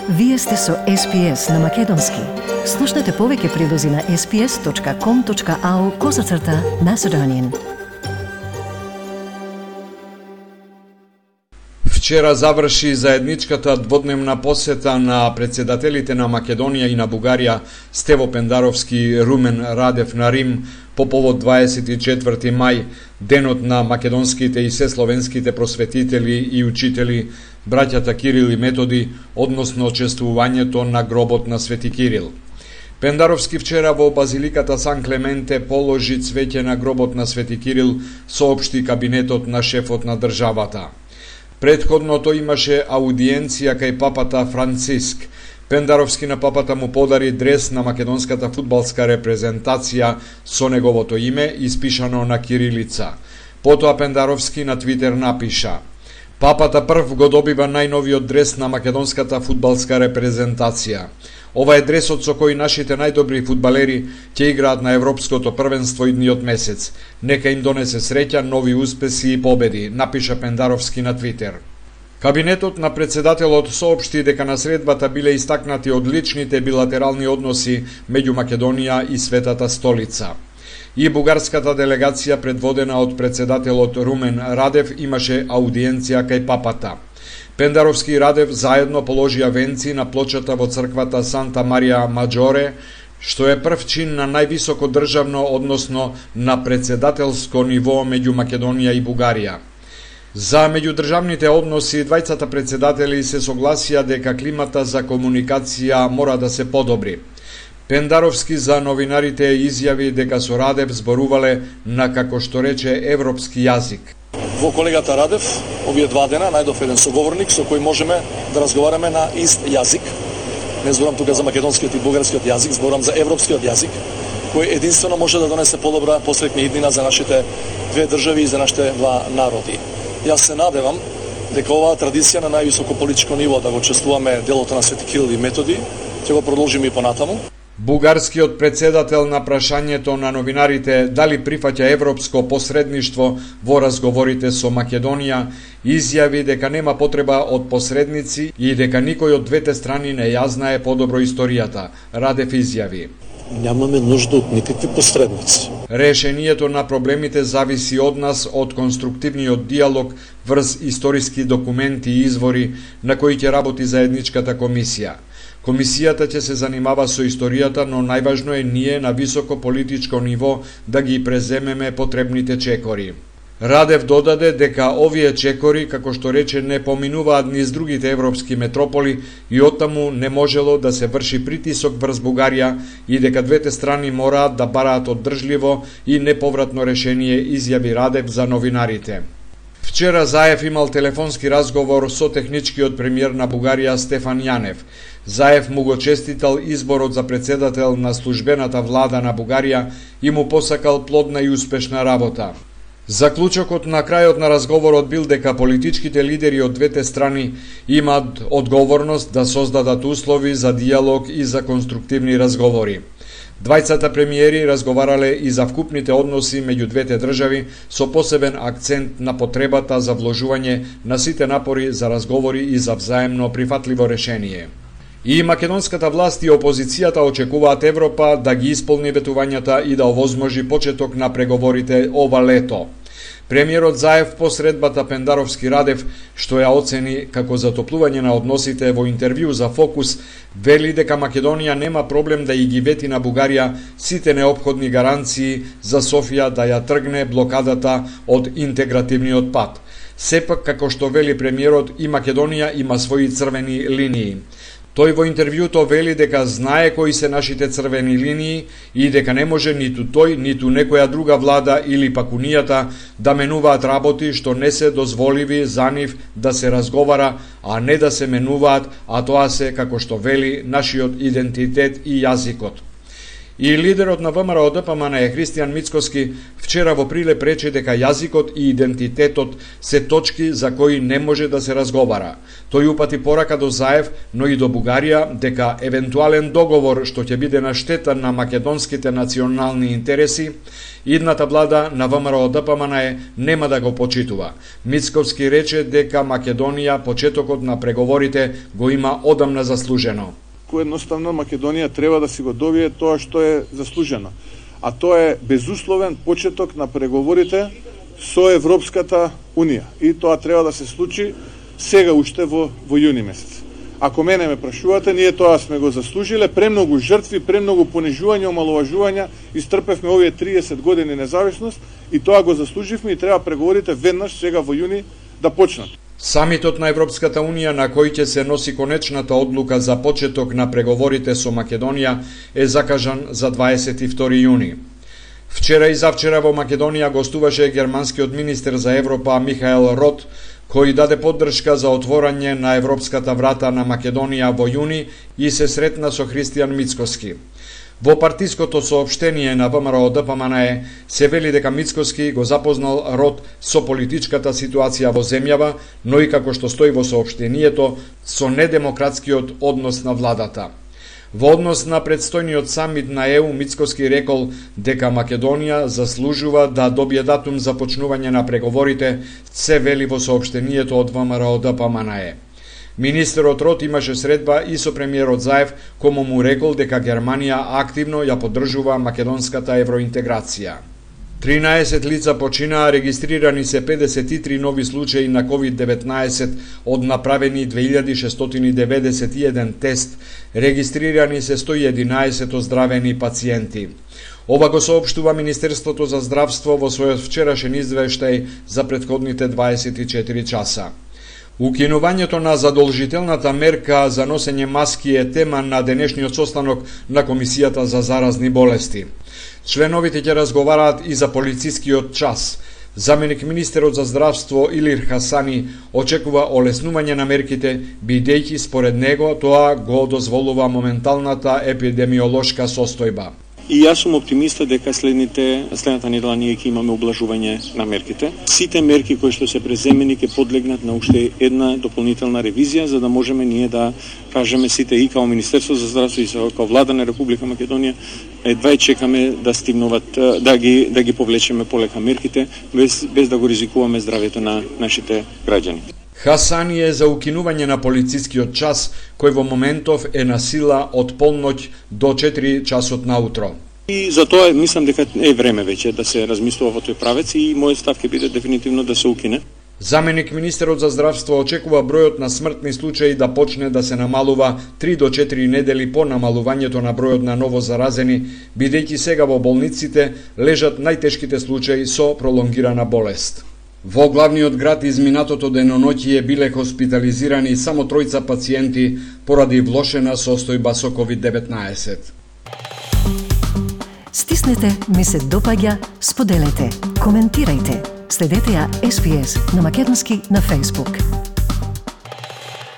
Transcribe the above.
Вие сте со SPS на Македонски. Слушнете повеќе прилози на sps.com.au/Macedonian. Вчера заврши заедничката дводневна посета на председателите на Македонија и на Бугарија Стево Пендаровски и Румен Радев на Рим по повод 24 мај, денот на македонските и сесловенските просветители и учители, браќата Кирил и Методи, односно чествувањето на гробот на Свети Кирил. Пендаровски вчера во базиликата Сан Клементе положи цвеќе на гробот на Свети Кирил, соопшти кабинетот на шефот на државата. Предходно тој имаше аудиенција кај папата Франциск. Пендаровски на папата му подари дрес на македонската фудбалска репрезентација со неговото име, испишано на кирилица. Потоа Пендаровски на Твитер напиша: "Папата прв го добива најновиот дрес на македонската фудбалска репрезентација. Ова е дресот со кој нашите најдобри фудбалери ќе играат на Европското првенство идниот месец. Нека им донесе среќа, нови успеси и победи", напиша Пендаровски на Твитер. Кабинетот на председателот соопшти дека на средбата биле истакнати одличните билатерални односи меѓу Македонија и Светата столица. И бугарската делегација, предводена од председателот Румен Радев, имаше аудиенција кај папата. Пендаровски и Радев заедно положија венци на плочата во црквата Санта Марија Маджоре, што е прв чин на највисоко државно, односно на председателско ниво меѓу Македонија и Бугарија. За меѓудржавните односи, двајцата председатели се согласија дека климата за комуникација мора да се подобри. Пендаровски за новинарите изјави дека со Радев зборувале на, како што рече, европски јазик. Во колегата Радев, овие 2 дена, најдов еден соговорник со кој можеме да разговараме на ист јазик. Не зборам тука за македонскиот и бугарскиот јазик, зборам за европскиот јазик, кој единствено може да донесе подобра посретна иднина за нашите две држави и за нашите два народи. Јас се надевам дека оваа традиција на највисоко политичко ниво да го чествуваме делото на Свети Кирил и Методи ќе го продолжиме и понатаму. Бугарскиот председател на прашањето на новинарите дали прифаќа европско посредништво во разговорите со Македонија, изјави дека нема потреба од посредници и дека никој од двете страни не ја знае подобро историјата. Радев изјави: "Нямаме нужда од никакви посредници. Решението на проблемите зависи од нас, од конструктивниот диалог врз историски документи и извори на кои ќе работи заедничката комисија. Комисијата ќе се занимава со историјата, но најважно е ние на високо политичко ниво да ги преземеме потребните чекори." Радев додаде дека овие чекори, како што рече, не поминуваат низ другите европски метрополи и оттаму не можело да се врши притисок врз Бугарија и дека двете страни мораат да бараат оддржливо и неповратно решение, изјави Радев за новинарите. Вчера Заев имал телефонски разговор со техничкиот премиер на Бугарија Стефан Јанев. Заев му го честитал изборот за председател на службената влада на Бугарија и му посакал плодна и успешна работа. Заклучокот на крајот на разговорот бил дека политичките лидери од двете страни имаат одговорност да создадат услови за диалог и за конструктивни разговори. Двајцата премиери разговарале и за вкупните односи меѓу двете држави со посебен акцент на потребата за вложување на сите напори за разговори и за взаемно прифатливо решение. И македонската власт и опозицијата очекуваат Европа да ги исполни ветувањата и да овозможи почеток на преговорите ова лето. Премиерот Заев по средбата Пендаровски Радев, што ја оцени како затоплување на односите во интервју за Фокус, вели дека Македонија нема проблем да ги вети на Бугарија сите неопходни гаранции за Софија да ја тргне блокадата од интегративниот пат. Сепак, како што вели премиерот, и Македонија има своји црвени линии. Тој во интервјуто вели дека знае кои се нашите црвени линии и дека не може ниту тој, ниту некоја друга влада или пак унијата да менуваат работи што не се дозволиви за нив да се разговара, а не да се менуваат, а тоа се, како што вели, нашиот идентитет и јазикот. И лидерот на ВМРО ДПМН Христијан Мицкоски вчера во Прилеп рече дека јазикот и идентитетот се точки за кои не може да се разговара. Тој упати порака до Заев, но и до Бугарија дека евентуален договор што ќе биде на штета на македонските национални интереси, идната влада на ВМРО ДПМН нема да го почитува. Мицковски рече дека Македонија почетокот на преговорите го има одамна заслужено. Едноставно Македонија треба да си го добие тоа што е заслужено. А тоа е безусловен почеток на преговорите со Европската Унија. И тоа треба да се случи сега уште во јуни месец. Ако мене ме прашувате, ние тоа сме го заслужиле, премногу жртви, премногу понижување, омаловажувања, истрпевме овие 30 години независност и тоа го заслуживме и треба преговорите веднаш сега во јуни да почнат. Самитот на Европската Унија на кој ќе се носи конечната одлука за почеток на преговорите со Македонија е закажан за 22 јуни. Вчера и завчера во Македонија гостуваше германскиот министер за Европа Михаел Рот, кој даде поддршка за отворање на европската врата на Македонија во јуни и се сретна со Христијан Мицкоски. Во партиското соопштение на ВМРО ДПМН се вели дека Мицкоски го запознал Рот со политичката ситуација во земјава, но и како што стои во соопштението, со недемократскиот однос на владата. Во однос на предстојниот самит на ЕУ, Мицкоски рекол дека Македонија заслужува да добие датум за почнување на преговорите, се вели во соопштението од ВМРО ДПМН. Министерот Рот имаше средба и со премиерот Заев, кому му рекол дека Германија активно ја поддржува македонската евроинтеграција. 13 лица починаа, регистрирани се 53 нови случаи на COVID-19 од направени 2691 тест, регистрирани се 111 оздравени пациенти. Ова го соопштува Министерството за здравство во својот вчерашен извештај за претходните 24 часа. Укинувањето на задолжителната мерка за носење маски е тема на денешниот состанок на Комисијата за заразни болести. Членовите ќе разговараат и за полицискиот час. Заменик министерот за здравство Илир Хасани очекува олеснување на мерките, бидејќи според него тоа го дозволува моменталната епидемиолошка состојба. И јас сум оптимиста дека следната недела ние ќе имаме облажување на мерките. Сите мерки кои што се преземени ќе подлегнат на уште една дополнителна ревизија, за да можеме ние да кажеме сите и као Министерство за здравство и као влада на Република Македонија едва чекаме да стигнуваат да ги повлечеме полека мерките без да го ризикуваме здравјето на нашите граѓани. Хасани е за укинување на полицискиот час, кој во моментов е на сила од полноќ до 4 часот наутро. И за тоа мислам дека е време веќе да се размислува во тој правец и мојот став ќе биде дефинитивно да се укине. Заменик министерот за здравство очекува бројот на смртни случаи да почне да се намалува 3 до 4 недели по намалувањето на бројот на ново заразени, бидејќи сега во болниците лежат најтешките случаи со пролонгирана болест. Во главниот град изминатото деноноќие биле хоспитализирани само 3 пациенти поради влошена состојба со COVID-19. Стиснете, ми се допаѓа, споделете, коментирајте. Следете ја SPS на Македонски на Facebook.